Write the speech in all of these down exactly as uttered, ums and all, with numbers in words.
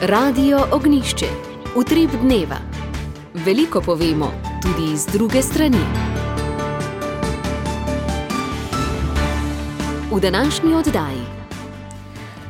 Radio Ognjišče. Utrip dneva. Veliko povemo, tudi iz druge strani. V današnji oddaji.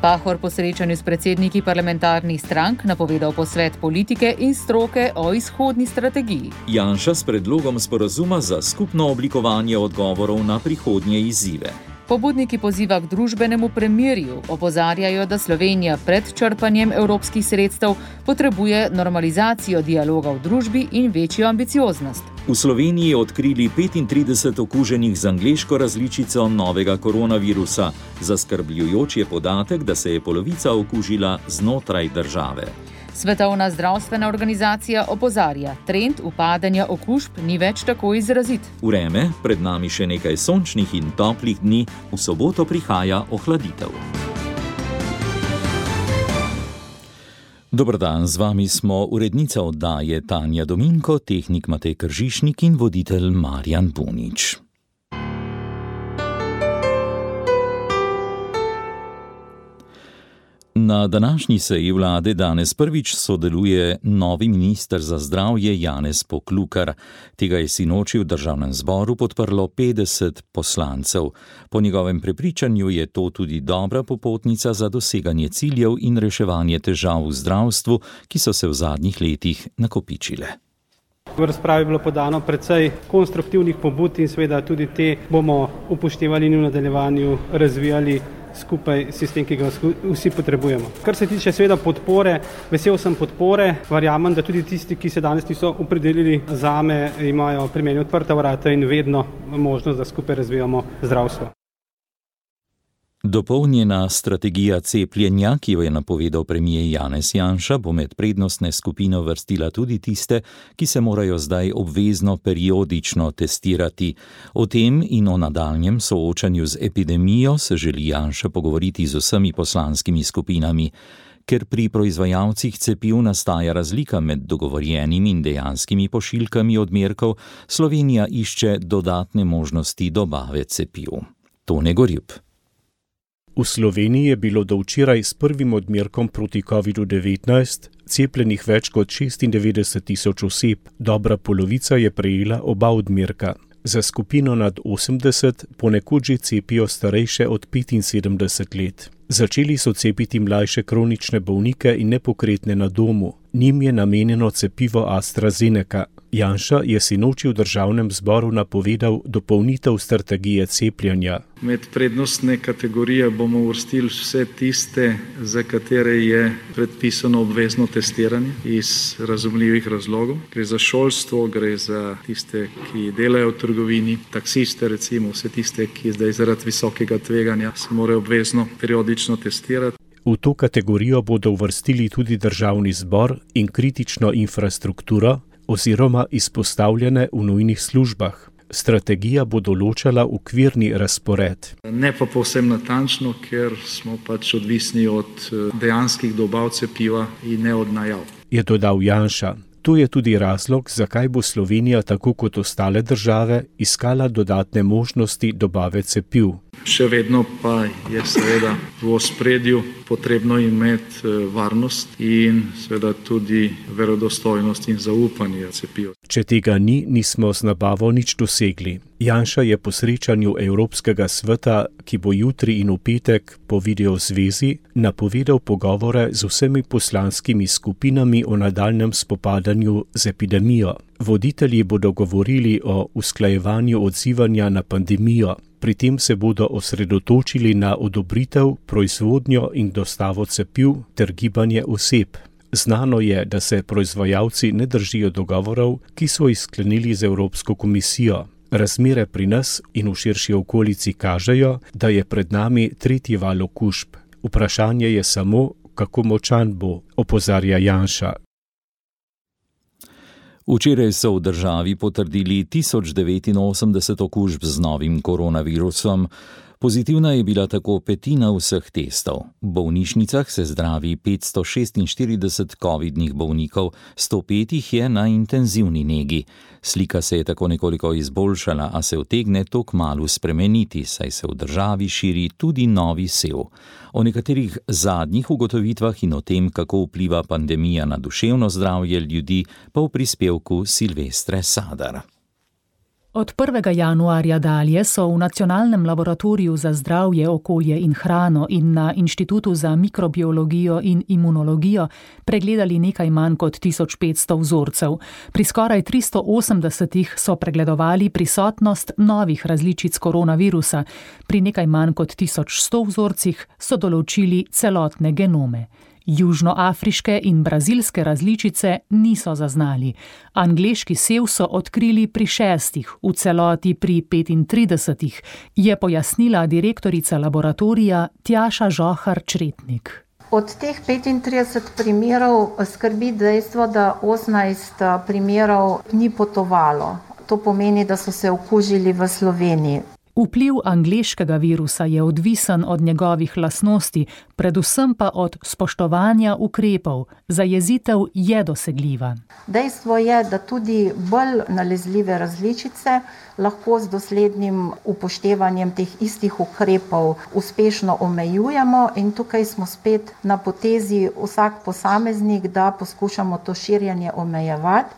Pahor po srečanju s predsedniki parlamentarnih strank napovedal posvet politike in stroke o izhodni strategiji. Janša s predlogom sporazuma za skupno oblikovanje odgovorov na prihodnje izzive. Pobudniki poziva k družbenemu premirju, opozarjajo, da Slovenija pred črpanjem evropskih sredstev potrebuje normalizacijo dialoga v družbi in večjo ambicioznost. V Sloveniji odkrili petintrideset okuženih z angleško različico novega koronavirusa. Zaskrbljujoč je podatek, da se je polovica okužila znotraj države. Svetovna zdravstvena organizacija opozarja, trend upadanja okužb ni več tako izrazit. Vreme, pred nami še nekaj sončnih in toplih dni, v soboto prihaja ohladitev. Dober dan, z vami smo urednica oddaje Tanja Dominko, tehnik Matej Kržišnik in voditelj Marjan Bunič. Na današnji seji vlade danes prvič sodeluje novi minister za zdravje Janez Poklukar. Tega je sinoči v državnem zboru podprlo petdeset poslancev. Po njegovem prepričanju je to tudi dobra popotnica za doseganje ciljev in reševanje težav v zdravstvu, ki so se v zadnjih letih nakopičile. V razpravi je bilo podano precej konstruktivnih pobud in seveda tudi te bomo upoštevali in v nadaljevanju razvijali skupaj sistem, ki ga vsi potrebujemo. Kar se tiče seveda podpore, vesel sem podpore, verjamem, da tudi tisti, ki se danes niso opredelili zame, imajo pri meni odprta vrata in vedno možnost, da skupaj razvijamo zdravstvo. Dopolnjena strategija cepljenja, ki jo je napovedal premier Janez Janša, bo med prednostne skupine vrstila tudi tiste, ki se morajo zdaj obvezno periodično testirati. O tem in o nadaljnjem soočanju z epidemijo se želi Janša pogovoriti z vsemi poslanskimi skupinami. Ker pri proizvajalcih cepiv nastaja razlika med dogovorjenimi in dejanskimi pošiljkami odmerkov, Slovenija išče dodatne možnosti dobave cepiv. Tone Gorjup. V Sloveniji je bilo do včeraj s prvim odmerkom proti kovidu devetnajst cepljenih več kot šestindevetdeset tisoč oseb, dobra polovica je prejela oba odmerka. Za skupino nad osemdeset ponekod že cepijo starejše od petinsedemdeset let. Začeli so cepiti mlajše kronične bolnike in nepokretne na domu. Njim je namenjeno cepivo AstraZeneca. Janša je sinoči v državnem zboru napovedal dopolnitev strategije cepljenja. Med prednostne kategorije bomo uvrstili vse tiste, za katere je predpisano obvezno testiranje iz razumljivih razlogov. Gre za šolstvo, gre za tiste, ki delajo v trgovini, taksiste recimo, vse tiste, ki zdaj zaradi visokega tveganja se morajo obvezno periodično testirati. V to kategorijo bodo uvrstili tudi državni zbor in kritično infrastrukturo oziroma izpostavljene v nujnih službah. Strategija bo določala okvirni razpored. Ne pa povsem natančno, ker smo pač odvisni od dejanskih dobav cepiva in ne od najav. Je dodal Janša. To je tudi razlog, zakaj bo Slovenija, tako kot ostale države, iskala dodatne možnosti dobave cepiv. Še vedno pa je seveda v ospredju potrebno imeti varnost in seveda tudi verodostojnost in zaupanje cepiv. Če tega ni, nismo z nabavo nič dosegli. Janša je po srečanju Evropskega sveta, ki bo jutri in v petek po videozvezi, napovedal pogovore z vsemi poslanskimi skupinami o nadaljnjem spopadanju z epidemijo. Voditelji bodo govorili o usklajevanju odzivanja na pandemijo. Pri tem se bodo osredotočili na odobritev, proizvodnjo in dostavo cepiv ter gibanje oseb. Znano je, da se proizvajalci ne držijo dogovorov, ki so jih sklenili z Evropsko komisijo. Razmere pri nas in v širši okolici kažejo, da je pred nami tretji val okužb. Vprašanje je samo, kako močan bo, opozarja Janša. Včeraj so v državi potrdili tisoč devetinosemdeset okužb z novim koronavirusom. Pozitivna je bila tako petina vseh testov. V bolnišnicah se zdravi petsto šestinštirideset covidnih bolnikov, sto pet jih je na intenzivni negi. Slika se je tako nekoliko izboljšala, a se utegne to kmalu spremeniti, saj se v državi širi tudi novi sev. O nekaterih zadnjih ugotovitvah in o tem, kako vpliva pandemija na duševno zdravje ljudi, pa v prispevku Silvestre Sadar. Od prvega januarja dalje so v Nacionalnem laboratoriju za zdravje, okolje in hrano in na Inštitutu za mikrobiologijo in imunologijo pregledali nekaj manj kot tisoč petsto vzorcev. Pri skoraj tristo osemdesetih so pregledovali prisotnost novih različic koronavirusa, pri nekaj manj kot tisoč sto vzorcih so določili celotne genome. Južnoafriške in brazilske različice niso zaznali. Angleški sev so odkrili pri šestih, v celoti pri petintridesetih, je pojasnila direktorica laboratorija Tjaša Žohar-Čretnik. Od teh petintrideset primerov skrbi dejstvo, da osemnajst primerov ni potovalo. To pomeni, da so se okužili v Sloveniji. Vpliv angleškega virusa je odvisen od njegovih lastnosti, predvsem pa od spoštovanja ukrepov. Zajezitev je dosegljiva. Dejstvo je, da tudi bolj nalezljive različice lahko z doslednim upoštevanjem teh istih ukrepov uspešno omejujemo in tukaj smo spet na potezi vsak posameznik, da poskušamo to širjenje omejevati.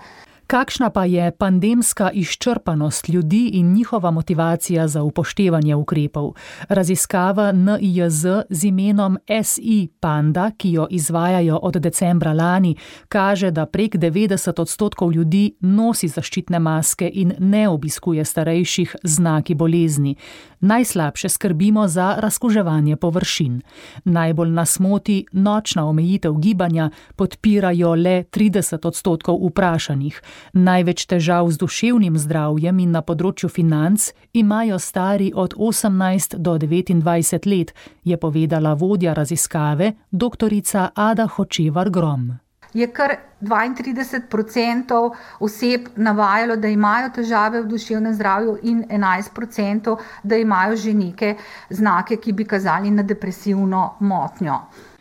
Kakšna pa je pandemska izčrpanost ljudi in njihova motivacija za upoštevanje ukrepov? Raziskava N I J Z z imenom S I Panda, ki jo izvajajo od decembra lani, kaže, da prek devetdeset odstotkov ljudi nosi zaščitne maske in ne obiskuje starejših z znaki bolezni. Najslabše skrbimo za razkuževanje površin. Najbolj nas moti nočna omejitev gibanja, podpirajo le trideset odstotkov vprašanih. Največ težav z duševnim zdravjem in na področju financ imajo stari od osemnajst do devetindvajset let, je povedala vodja raziskave doktorica Ada Hočevar Grom. Je kar dvaintrideset procentov oseb navajalo, da imajo težave v duševnem zdravju in enajst procentov, da imajo že neke znake, ki bi kazali na depresivno motnjo.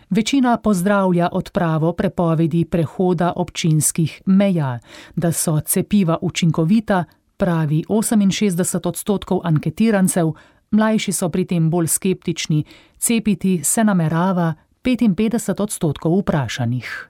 Večina pozdravlja odpravo prepovedi prehoda občinskih meja. Da so cepiva učinkovita, pravi oseminšestdeset odstotkov anketirancev, mlajši so pri tem bolj skeptični, cepiti se namerava petinpetdeset odstotkov vprašanih.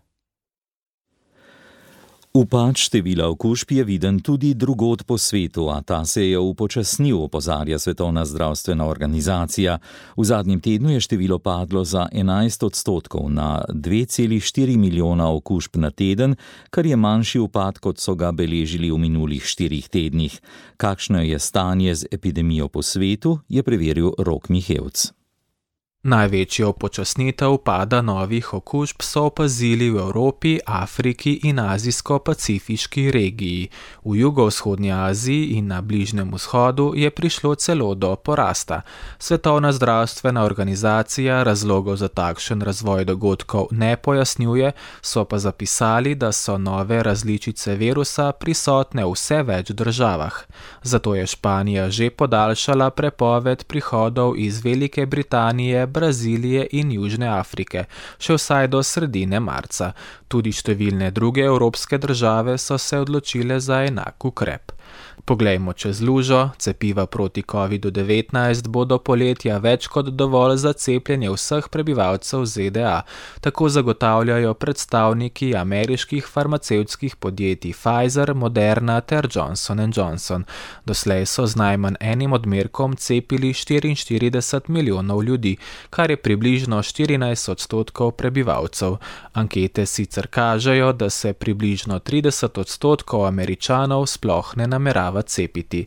Upad števila okužb je viden tudi drugod po svetu, a ta se je upočasnil, opozarja Svetovna zdravstvena organizacija. V zadnjem tednu je število padlo za enajst odstotkov na dve celi štiri milijona okužb na teden, kar je manjši upad, kot so ga beležili v minulih štirih tednih. Kakšno je stanje z epidemijo po svetu, je preveril Rok Mihevc. Največjo počasnitev pada novih okužb so opazili v Evropi, Afriki in azijsko-pacifiški regiji. V jugovzhodnji Aziji in na Bližnjem vzhodu je prišlo celo do porasta. Svetovna zdravstvena organizacija razlogov za takšen razvoj dogodkov ne pojasnjuje, so pa zapisali, da so nove različice virusa prisotne v vse več državah. Zato je Španija že podaljšala prepoved prihodov iz Velike Britanije, Brazilije in Južne Afrike, še vsaj do sredine marca. Tudi številne druge evropske države so se odločile za enak ukrep. Poglejmo čez lužo, cepiva proti kovidu devetnajst bo do poletja več kot dovolj za cepljenje vseh prebivalcev Z D A, tako zagotavljajo predstavniki ameriških farmacevtskih podjetij Pfizer, Moderna ter Johnson and Johnson. Doslej so z najmanj enim odmerkom cepili štiriinštirideset milijonov ljudi, kar je približno štirinajst odstotkov prebivalcev. Ankete sicer kažejo, da se približno trideset odstotkov Američanov sploh ne namerava cepiti.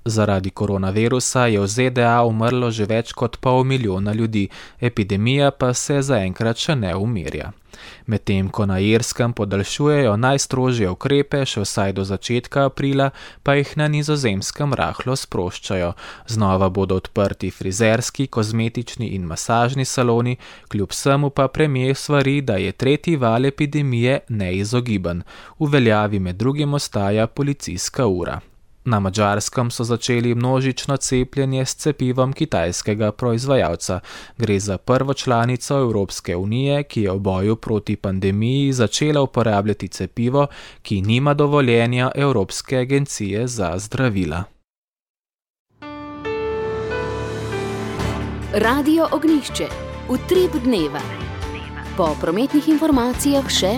Zaradi koronavirusa je v Z D A umrlo že več kot pol milijona ljudi, epidemija pa se zaenkrat še ne umirja. Medtem ko na Irskem podaljšujejo najstrožje ukrepe še vsaj do začetka aprila, pa jih na Nizozemskem rahlo sproščajo. Znova bodo odprti frizerski, kozmetični in masažni saloni, kljub vsemu pa premier svari, da je tretji val epidemije neizogiben. V veljavi med drugim ostaja policijska ura. Na Madžarskem so začeli množično cepljenje s cepivom kitajskega proizvajalca. Gre za prvo članico Evropske unije, ki je v boju proti pandemiji začela uporabljati cepivo, ki nima dovoljenja Evropske agencije za zdravila. Radio Ognjišče. Utrip dneva. Po prometnih informacijah še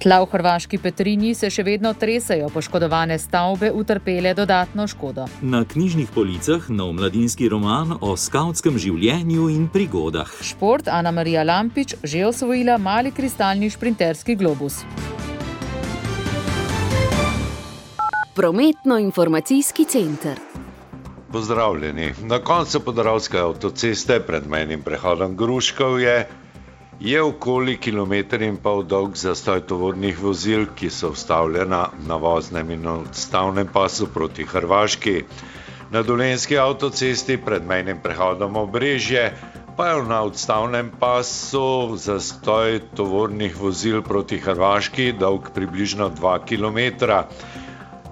tla v hrvaški Petrinji se še vedno tresajo, poškodovane stavbe utrpele dodatno škodo. Na knjižnih policah nov mladinski roman o skavtskem življenju in prigodah. Šport, Ana Marija Lampič že osvojila mali kristalni šprinterski globus. Prometno-informacijski center. Pozdravljeni. Na koncu Podravske avtoceste pred mejnim prehodom Gruškovje je okoli kilometer in pol dolg zastoj tovornih vozil, ki so vstavljena na voznem in odstavnem pasu proti Hrvaški. Na dolenjski avtocesti pred mejnim prehodom Obrežje pa je na odstavnem pasu zastoj tovornih vozil proti Hrvaški dolg približno dva kilometra.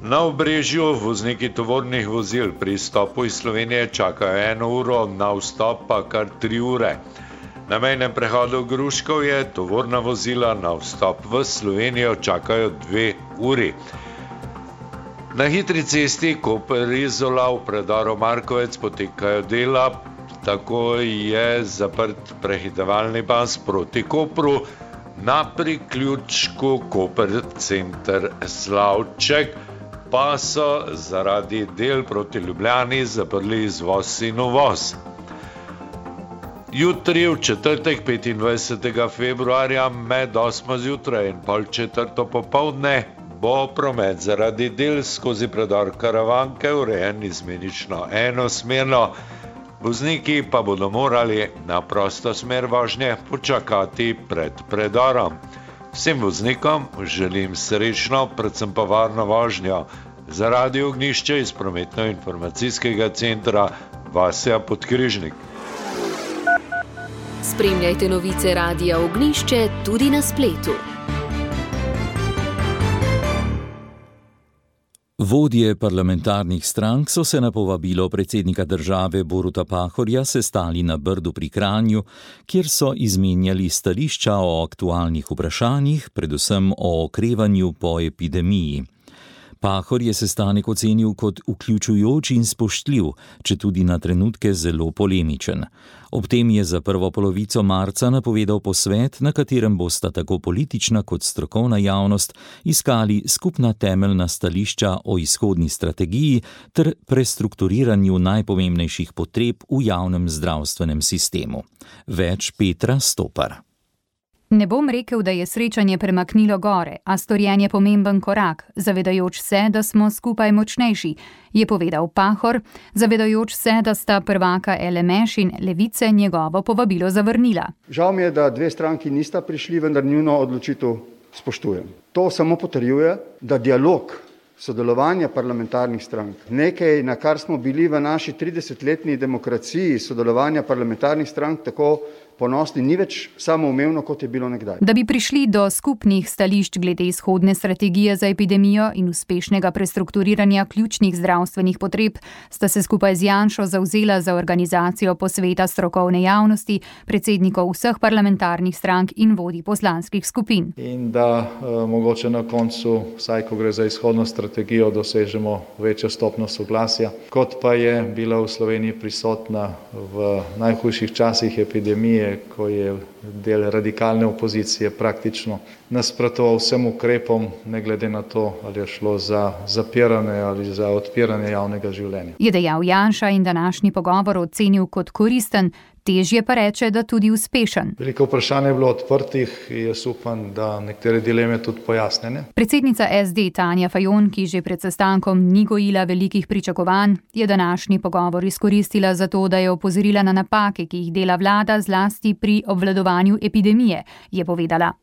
Na Obrežju vozniki tovornih vozil pri izstopu iz Slovenije čakajo eno uro, na vstop pa kar tri ure. Na mejnem prehodu Gruškovje tovorna vozila na vstop v Slovenijo čakajo dve uri. Na hitri cesti Koper-Izola v predoru Markovec potekajo dela, tako je zaprt prehitevalni pas proti Kopru, na priključku Koper center Slavček pa so zaradi del proti Ljubljani zaprli izvoz in uvoz. Jutri, v četrtek petindvajsetega februarja med osmo zjutraj in pol četrto popoldne bo promet zaradi del skozi predor Karavanke urejen izmenično enosmerno. Vozniki pa bodo morali na prosto smer vožnje počakati pred predorom. Vsem voznikom želim srečno, predvsem pa varno vožnjo. Za Radio Ognjišče iz prometno-informacijskega centra Vasja Podkrižnik. Spremljajte novice Radia Ognjišče tudi na spletu. Vodje parlamentarnih strank so se na povabilo predsednika države Boruta Pahorja sestali na Brdu pri Kranju, kjer so izmenjali stališča o aktualnih vprašanjih, predvsem o okrevanju po epidemiji. Pahor je sestanek ocenil kot vključujoč in spoštljiv, četudi na trenutke zelo polemičen. Ob tem je za prvo polovico marca napovedal posvet, na katerem bosta tako politična kot strokovna javnost iskali skupna temeljna stališča o izhodni strategiji ter prestrukturiranju najpomembnejših potreb v javnem zdravstvenem sistemu. Več Petra Stopar. Ne bom rekel, da je srečanje premaknilo gore, a storjen je pomemben korak, zavedajoč se, da smo skupaj močnejši, je povedal Pahor, zavedajoč se, da sta prvaka L M Š in Levice njegovo povabilo zavrnila. Žal mi je, da dve stranki nista prišli, vendar njuno odločitev spoštujem. To samo potrjuje, da dialog, sodelovanje parlamentarnih strank, nekaj, na kar smo bili v naši tridesetletni demokraciji, sodelovanja parlamentarnih strank tako ponosni, ni več samoumevno, kot je bilo nekdaj. Da bi prišli do skupnih stališč glede izhodne strategije za epidemijo in uspešnega prestrukturiranja ključnih zdravstvenih potreb, sta se skupaj z Janšo zavzela za organizacijo posveta strokovne javnosti, predsednikov vseh parlamentarnih strank in vodij poslanskih skupin. In da eh, mogoče na koncu, vsaj ko gre za izhodno strategijo, dosežemo večjo stopnjo soglasja, kot pa je bila v Sloveniji prisotna v najhujših časih epidemije, ko je del radikalne opozicije praktično nasprotoval vsem ukrepom, ne glede na to, ali je šlo za zapiranje ali za odpiranje javnega življenja. Je dejal Janša in današnji pogovor ocenil kot koristen, težje pa reče, da tudi uspešen. Veliko vprašanj je bilo odprtih in jaz upam, da nekatere dileme tudi pojasnjene. Predsednica S D Tanja Fajon, ki že pred sestankom ni gojila velikih pričakovanj, je današnji pogovor izkoristila za to, da je opozorila na napake, ki jih dela vlada zlasti pri obvladovanju epidemije, je povedala.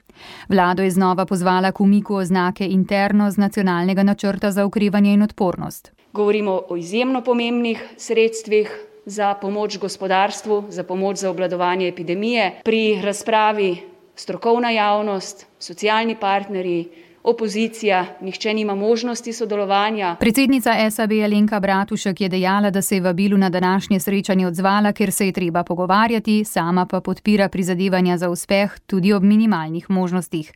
Vlado je znova pozvala k umiku oznake interno z nacionalnega načrta za okrevanje in odpornost. Govorimo o izjemno pomembnih sredstvih, za pomoč gospodarstvu, za pomoč za obvladovanje epidemije. Pri razpravi strokovna javnost, socialni partnerji, opozicija, nihče nima možnosti sodelovanja. Predsednica S A B Alenka Bratušek je dejala, da se je vabilu na današnje srečanje odzvala, ker se je treba pogovarjati, sama pa podpira prizadevanja za uspeh tudi ob minimalnih možnostih.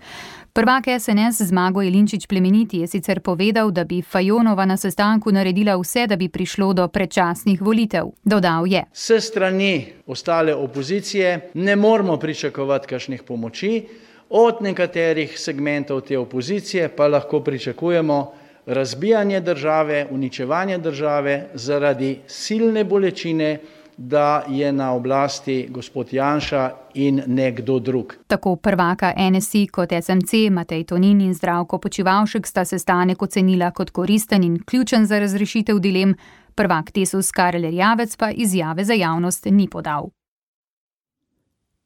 Prvak S N S Zmago Jelinčič Plemeniti je sicer povedal, da bi Fajonova na sestanku naredila vse, da bi prišlo do predčasnih volitev. Dodal je: S strani ostale opozicije ne moramo pričakovati kakšnih pomoči, od nekaterih segmentov te opozicije pa lahko pričakujemo razbijanje države, uničevanje države zaradi silne bolečine, da je na oblasti gospod Janša in nekdo drug. Tako prvaka N S I kot S M C Matej Tonin in Zdravko Počivalšek sta sestanek ocenila kot koristen in ključen za razrešitev dilem, prvak Desus Karel Erjavec pa izjave za javnost ni podal.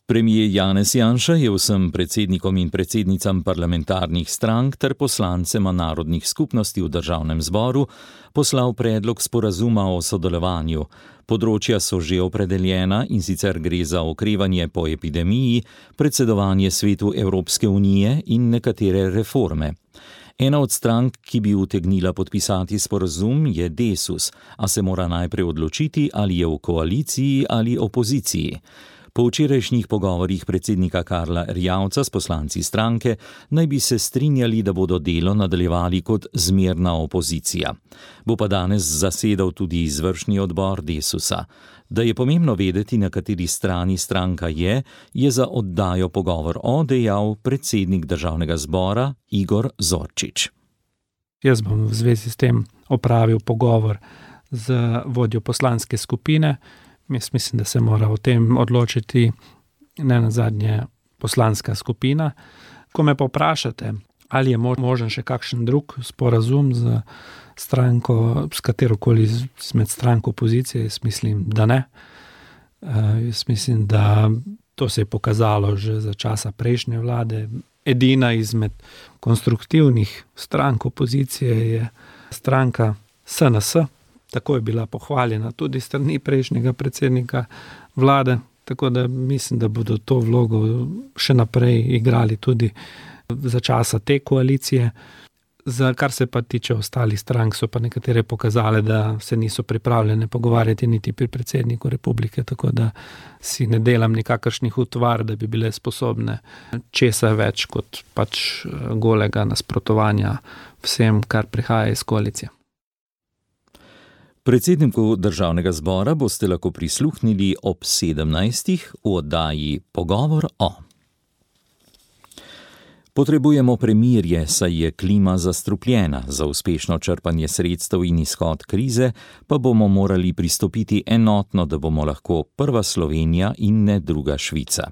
Premijer Janez Janša je vsem predsednikom in predsednicam parlamentarnih strank ter poslancema narodnih skupnosti v državnem zboru poslal predlog sporazuma o sodelovanju. Področja so že opredeljena, in sicer gre za okrevanje po epidemiji, predsedovanje svetu Evropske unije in nekatere reforme. Ena od strank, ki bi utegnila podpisati sporazum, je Desus, a se mora najprej odločiti, ali je v koaliciji ali opoziciji. Po včerajšnjih pogovorih predsednika Karla Erjavca s poslanci stranke naj bi se strinjali, da bodo delo nadaljevali kot zmerna opozicija. Bo pa danes zasedal tudi izvršni odbor Desusa. Da je pomembno vedeti, na kateri strani stranka je, je za oddajo Pogovor o dejal predsednik državnega zbora Igor Zorčič. Jaz bom v zvezi s tem opravil pogovor z vodjo poslanske skupine. Jaz mislim, da se mora o tem odločiti ne nazadnje poslanska skupina. Ko me pa vprašate, ali je možen še kakšen drug sporazum z stranko, s katerokoli med stranko opozicije, jaz mislim, da ne. Jaz mislim, da to se je pokazalo že za časa prejšnje vlade. Edina izmed konstruktivnih strank opozicije je stranka S N S. Tako je bila pohvaljena tudi strani prejšnjega predsednika vlade, tako da mislim, da bodo to vlogo še naprej igrali tudi za časa te koalicije. Za kar se pa tiče ostalih strank, so pa nekatere pokazale, da se niso pripravljene pogovarjati niti pri predsedniku republike, tako da si ne delam nikakršnih utvar, da bi bile sposobne česa več kot pač golega nasprotovanja vsem, kar prihaja iz koalicije. Predsedniku državnega zbora boste lahko prisluhnili ob sedemnajstih v oddaji Pogovor o. Potrebujemo premirje, saj je klima zastrupljena. Za uspešno črpanje sredstev in izhod krize pa bomo morali pristopiti enotno, da bomo lahko prva Slovenija in ne druga Švica.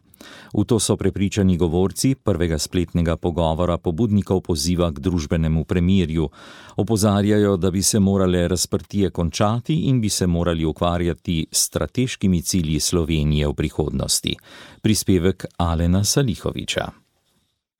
V to so prepričani govorci prvega spletnega pogovora pobudnikov poziva k družbenemu premirju. Opozarjajo, da bi se morale razprtije končati in bi se morali ukvarjati s strateškimi cilji Slovenije v prihodnosti. Prispevek Alena Salihoviča.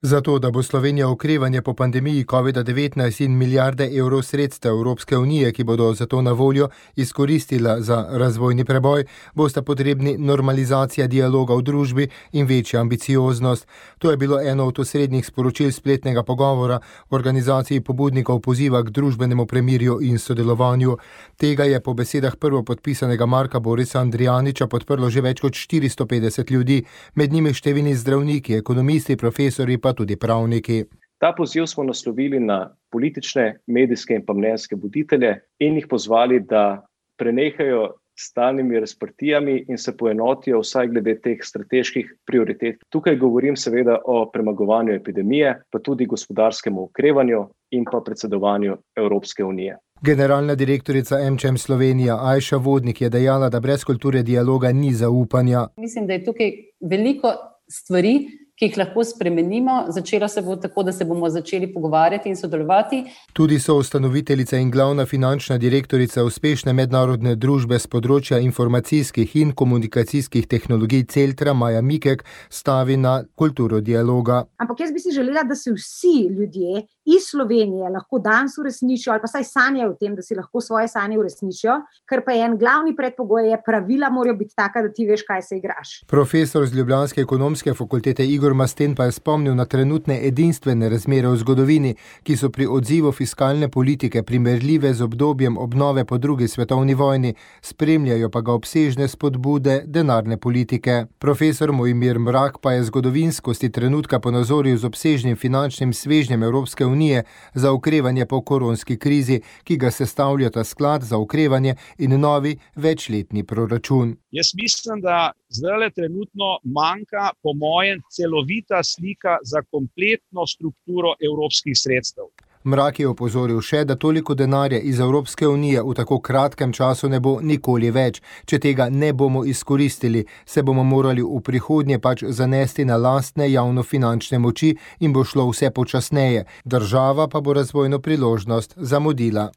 Zato, da bo Slovenija okrevanje po pandemiji covid devetnajst in milijarde evrov sredstev Evropske unije, ki bodo za to na voljo, izkoristila za razvojni preboj, bosta potrebni normalizacija dialoga v družbi in večja ambicioznost. To je bilo eno od osrednjih sporočil spletnega pogovora v organizaciji pobudnikov poziva k družbenemu premirju in sodelovanju. Tega je po besedah prvopodpisanega Marka Borisa Andrijaniča podprlo že več kot štiristo petdeset ljudi, med njimi številni zdravniki, ekonomisti, profesori pa tudi pravniki. Ta poziv smo naslovili na politične, medijske in pa mnenjske voditelje in jih pozvali, da prenehajo s stalnimi razprtijami in se poenotijo vsaj glede teh strateških prioritet. Tukaj govorim seveda o premagovanju epidemije, pa tudi gospodarskemu okrevanju in pa predsedovanju Evropske unije. Generalna direktorica AmCham Slovenija Ajša Vodnik je dejala, da brez kulture dialoga ni zaupanja. Mislim, da je tukaj veliko stvari, ki jih lahko spremenimo. Začelo se bo tako, da se bomo začeli pogovarjati in sodelovati. Tudi so ustanoviteljica in glavna finančna direktorica uspešne mednarodne družbe z področja informacijskih in komunikacijskih tehnologij Celtra Maja Mikek stavi na kulturo dialoga. Ampak jaz bi si želela, da se vsi ljudje iz Slovenije lahko danes uresničijo ali pa saj sanjajo o tem, da si lahko svoje sanje uresničijo, ker pa je en glavni predpogoj, je pravila morajo biti taka, da ti veš, kaj se igraš. Profesor z ljubljanske ekonomske fakultete Igor Masten pa je spomnil na trenutne edinstvene razmere v zgodovini, ki so pri odzivu fiskalne politike primerljive z obdobjem obnove po drugi svetovni vojni, spremljajo pa ga obsežne spodbude denarne politike. Profesor Mojmir Mrak pa je zgodovinskosti trenutka ponazoril z obsežnim finančnim svežnjem Evropske unije za okrevanje po koronski krizi, ki ga sestavljata sklad za okrevanje in novi večletni proračun. Jaz mislim, da zdaj trenutno manjka po mojem celovita slika za kompletno strukturo evropskih sredstev. Mrak je opozoril še, da toliko denarja iz Evropske unije v tako kratkem času ne bo nikoli več. Če tega ne bomo izkoristili, se bomo morali v prihodnje pač zanesti na lastne javnofinančne moči in bo šlo vse počasneje. Država pa bo razvojno priložnost zamudila.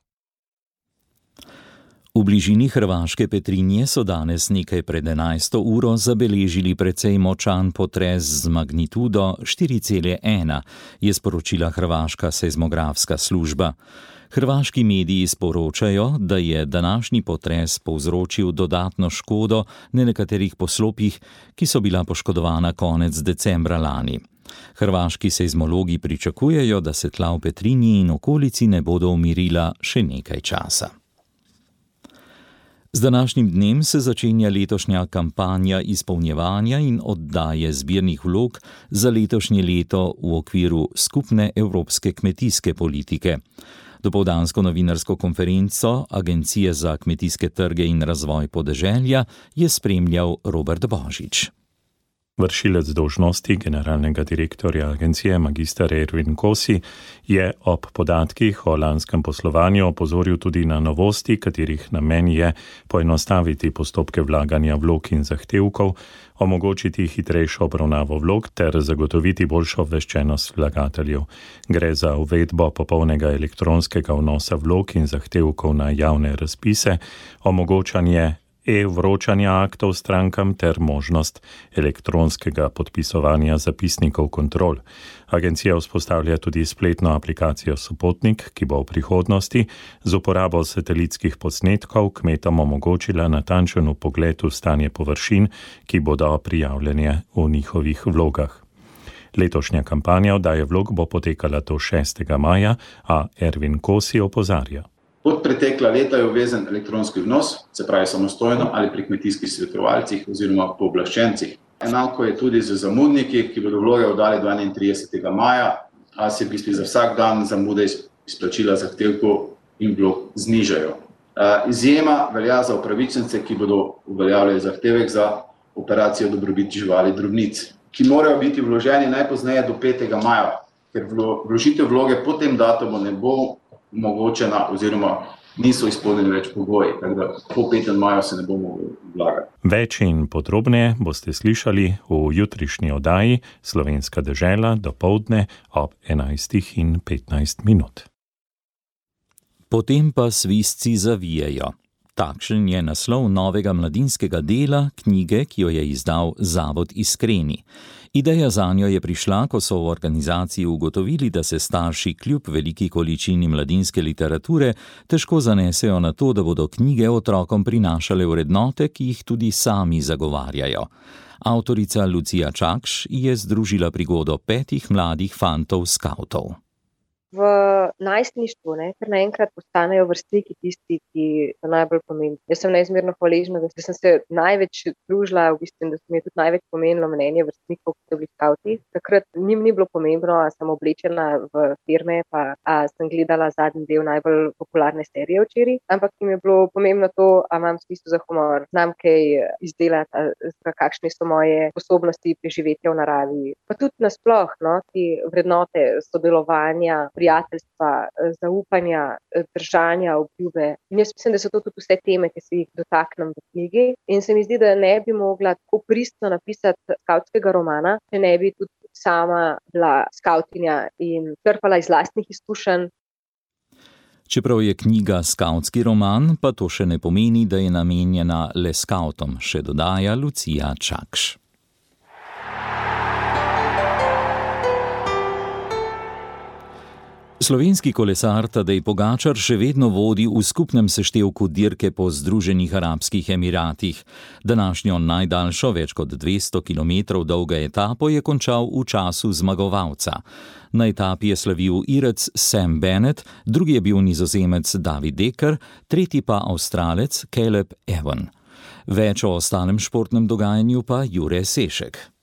V bližini hrvaške Petrinje so danes nekaj pred enajsto uro zabeležili precej močan potres z magnitudo štiri cela ena, je sporočila hrvaška seizmografska služba. Hrvaški mediji sporočajo, da je današnji potres povzročil dodatno škodo na nekaterih poslopjih, ki so bila poškodovana konec decembra lani. Hrvaški seizmologi pričakujejo, da se tla v Petrinji in okolici ne bodo umirila še nekaj časa. Z današnjim dnem se začenja letošnja kampanja izpolnjevanja in oddaje zbirnih vlog za letošnje leto v okviru skupne evropske kmetijske politike. Dopoldansko novinarsko konferenco Agencije za kmetijske trge in razvoj podeželja je spremljal Robert Božič. Vršilec dolžnosti generalnega direktorja agencije magister Ervin Kosi je ob podatkih o lanskem poslovanju opozoril tudi na novosti, katerih namen je poenostaviti postopke vlaganja vlog in zahtevkov, omogočiti hitrejšo obravnavo vlog ter zagotoviti boljšo obveščenost vlagateljev. Gre za uvedbo popolnega elektronskega vnosa vlog in zahtevkov na javne razpise, omogočanje e-vročanja aktov strankam ter možnost elektronskega podpisovanja zapisnikov kontrol. Agencija vzpostavlja tudi spletno aplikacijo Sopotnik, ki bo v prihodnosti z uporabo satelitskih posnetkov kmetom omogočila natančen vpogled v stanje površin, ki bodo prijavljene v njihovih vlogah. Letošnja kampanja oddaje vlog bo potekala do šestega maja, a Ervin Kosi opozarja. Kot pretekla leta je obvezen elektronski vnos, se pravi samostojno ali pri kmetijskih svetovalcih oziroma pooblaščencih. Enako je tudi z zamudniki, ki bodo vloge oddali do enaintridesetega maja, a se v bistvu za vsak dan zamude izplačila zahtevkov in vlog znižajo. Izjema velja za upravičence, ki bodo uveljavljali zahtevek za operacijo dobrobit živali drobnic, ki morajo biti vloženi najpozneje do petega maja, ker vložitev vloge po tem datumu ne bo omogočena oziroma niso izpolnjeni več pogoji, tako da po petem maju se ne bomo vlagali. Več in podrobneje boste slišali v jutrišnji oddaji Slovenska dežela dopoldne ob enajstih in petnajst minut. Potem pa svizci zavijejo. Takšen je naslov novega mladinskega dela knjige, ki jo je izdal Zavod Iskreni. Ideja zanjo je prišla, ko so v organizaciji ugotovili, da se starši kljub veliki količini mladinske literature težko zanesejo na to, da bodo knjige otrokom prinašale vrednote, ki jih tudi sami zagovarjajo. Avtorica Lucija Čakš je združila prigodo petih mladih fantov skavtov. V najstništvu, ne, ker naenkrat postanejo vrstniki tisti, ki so najbolj pomembni. Jaz sem neizmerno hvaležna, da sem se največ družila, v bistvu, da se mi je tudi največ pomenilo mnenje vrstnikov, ki so bili skavti. Takrat njim ni bilo pomembno, a sem oblečena v firme, pa a sem gledala zadnji del najbolj popularne serije včeraj, ampak jim je bilo pomembno to, a imam smisel za humor, znam kaj izdelati, kakšne so moje sposobnosti preživetja v naravi. Pa tudi nasploh, no, ti vrednote sodelovanja, prijateljstva, zaupanja, držanja, obljube. In jaz mislim, da so to tudi vse teme, ki se jih dotaknem v knjigi. In se mi zdi, da ne bi mogla tako pristno napisati skavtskega romana, če ne bi tudi sama bila skavtinja in črpala iz lastnih izkušenj. Čeprav je knjiga skavtski roman, pa to še ne pomeni, da je namenjena le skavtom, še dodaja Lucija Čakš. Slovenski kolesar Tadej Pogačar še vedno vodi v skupnem seštevku dirke po Združenih arabskih emiratih. Današnjo najdaljšo, več kot dvesto kilometrov dolgo etapo je končal v času zmagovalca. Na etapi je slavil Irec Sam Bennett, drugi je bil Nizozemec David Dekker, tretji pa Avstralec Caleb Ewan. Več o ostalem športnem dogajanju pa Jure Sešek.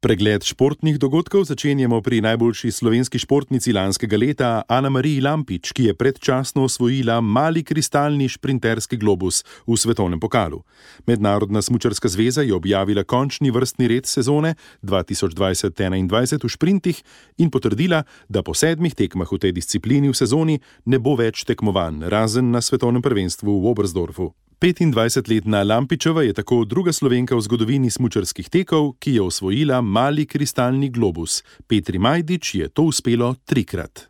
Pregled športnih dogodkov začenjamo pri najboljši slovenski športnici lanskega leta Ana Mariji Lampič, ki je predčasno osvojila mali kristalni šprinterski globus v svetovnem pokalu. Mednarodna smučarska zveza je objavila končni vrstni red sezone dva tisoč dvajset enaindvajset v šprintih in potrdila, da po sedmih tekmah v tej disciplini v sezoni ne bo več tekmovanj, razen na svetovnem prvenstvu v Oberstdorfu. petindvajsetletna Lampičeva je tako druga Slovenka v zgodovini smučarskih tekov, ki je osvojila mali kristalni globus. Petri Majdič je to uspelo trikrat.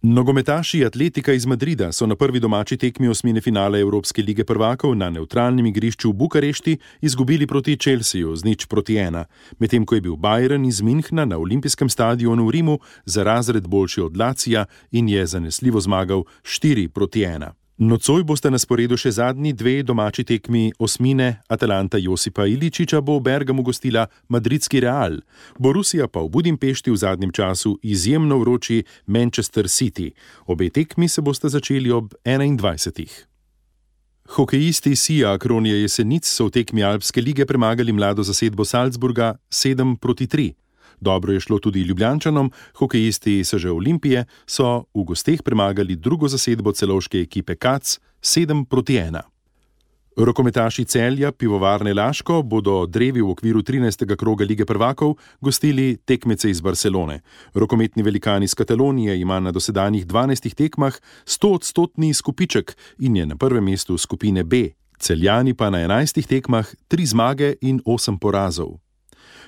Nogometaši Atletika iz Madrida so na prvi domači tekmi osmine finale Evropske lige prvakov na nevtralnem igrišču v Bukarešti izgubili proti Chelseaju z nič proti ena, medtem ko je bil Bayern iz Münchna na olimpijskem stadionu v Rimu za razred boljši od Lacija in je zanesljivo zmagal štiri proti ena. Nocoj boste na sporedu še zadnji dve domači tekmi osmine. Atalanta Josipa Iličiča bo v Bergamu gostila madridski Real, Borussia pa v Budimpešti v zadnjem času izjemno vroči Manchester City. Obe tekmi se boste začeli ob enaindvajsetih. Hokejisti Sija Kronje Jesenic so v tekmi Alpske lige premagali mlado zasedbo Salzburga sedem proti tri. Dobro je šlo tudi Ljubljančanom, hokejisti S Ž Olimpije so v gosteh premagali drugo zasedbo celovške ekipe Kac sedem proti ena. Rokometaši Celja Pivovarne Laško bodo drevi v okviru trinajstega kroga Lige prvakov gostili tekmece iz Barcelone. Rokometni velikan iz Katalonije ima na dosedanjih dvanajstih tekmah stoodstotni izkupiček in je na prvem mestu skupine B. Celjani pa na enajstih tekmah tri zmage in osem porazov.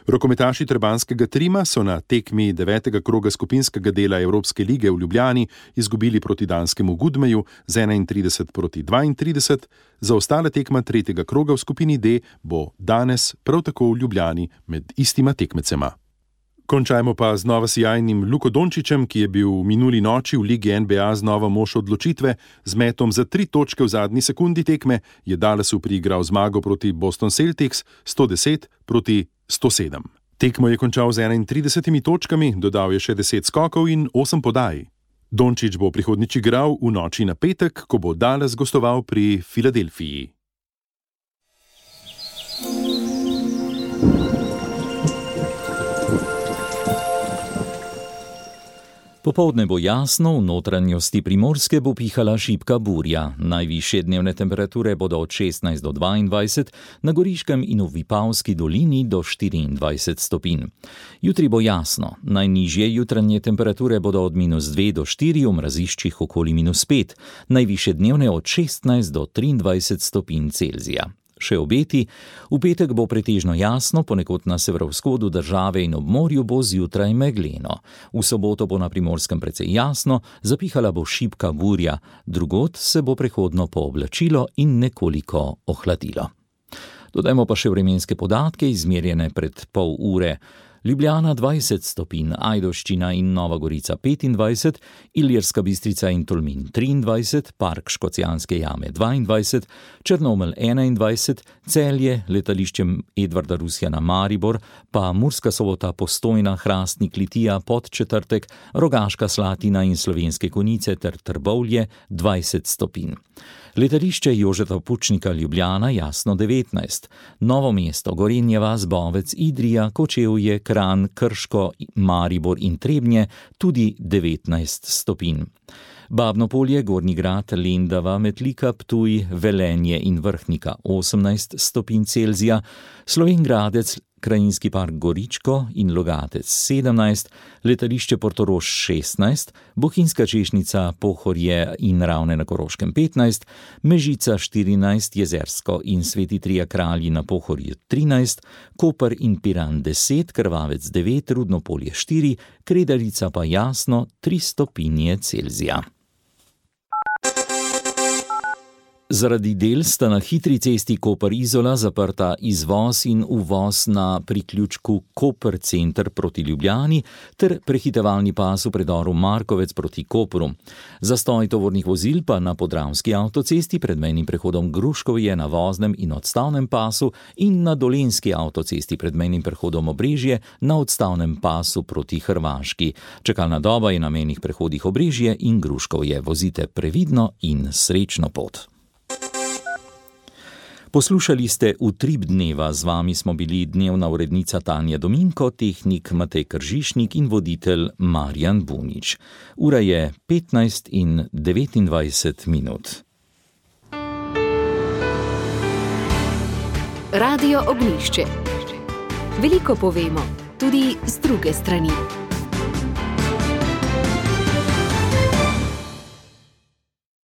Rokometaši Trebanjskega Trima so na tekmi devetega kroga skupinskega dela Evropske lige v Ljubljani izgubili proti danskemu Gudmeju z enaintrideset proti dvaintrideset, za ostale tekma tretjega kroga v skupini D bo danes prav tako v Ljubljani med istima tekmecema. Končajmo pa z nova sijajnim Luko Dončićem, ki je bil v minuli noči v Ligi N B A znova mož odločitve. Z metom za tri točke v zadnji sekundi tekme je Dallasu priigral zmago proti Boston Celtics sto deset proti sto sedem. Tekmo je končal z enaintridesetimi točkami, dodal je še deset skokov in osem podaj. Dončić bo prihodnjič igral v noči na petek, ko bo Dallas gostoval pri Filadelfiji. Popoldne bo jasno, v notranjosti Primorske bo pihala šibka burja. Najvišje dnevne temperature bodo od šestnajst do dvaindvajset, na Goriškem in v Vipavski dolini do štiriindvajset stopinj. Jutri bo jasno, najnižje jutranje temperature bodo od minus dve do štiri, v mraziščih okoli minus pet, najvišje dnevne od šestnajst do triindvajset stopinj Celzija. Še obeti, v petek bo pretežno jasno, ponekod na severovzhodu države in ob morju bo zjutraj megleno. V soboto bo na Primorskem precej jasno, zapihala bo šibka burja, drugod se bo prehodno pooblačilo in nekoliko ohladilo. Dodajmo pa še vremenske podatke, izmerjene pred pol ure. Ljubljana dvajset stopinj, Ajdovščina in Nova Gorica petindvajset, Ilirska Bistrica in Tolmin triindvajset, Park Škocjanske jame dvaindvajset, Črnomelj enaindvajset, Celje, letališče Edvarda Rusjana Maribor, pa Murska Sobota, Postojna, Hrastnik, Litija, Podčetrtek, Rogaška Slatina in Slovenske Konjice ter Trbovlje dvajset stopinj. Letališče Jožeta Pučnika Ljubljana jasno devetnajst, Novo mesto, Gorenje vas, Bovec, Idrija, Kočevje, Kranj, Krško, Maribor in Trebnje tudi devetnajst stopinj. Babno Polje, Gornji Grad, Lendava, Metlika, Ptuj, Velenje in Vrhnika osemnajst stopinj Celzija, Slovenj Gradec, Krajinski park Goričko in Logatec sedemnajst, letališče Portorož šestnajst, Bohinjska Češnica, Pohorje in Ravne na Koroškem petnajst, Mežica štirinajst, Jezersko in Sveti Trije Kralji na Pohorju trinajst, Koper in Piran deset, Krvavec devet, Rudno Polje štiri, Kredarica pa jasno tri stopinje Celzija. Zaradi del sta na hitri cesti Koper-Izola zaprta izvoz in uvoz na priključku Koper center proti Ljubljani ter prehitevalni pas v predoru Markovec proti Kopru. Zastoj tovornih vozil pa na Podravski avtocesti pred mejnim prehodom Gruškovje na voznem in odstavnem pasu in na Dolenjski avtocesti pred mejnim prehodom Obrežje na odstavnem pasu proti Hrvaški. Čakalna doba je na mejnih prehodih Obrežje in Gruškovje. Vozite previdno in srečno pot. Poslušali ste Utrip dneva, z vami smo bili dnevna urednica Tanja Dominko, tehnik Matej Kržišnik in voditelj Marjan Bunič. Ura je petnajst in devetindvajset minut. Radio Ognjišče. Veliko povemo, tudi z druge strani.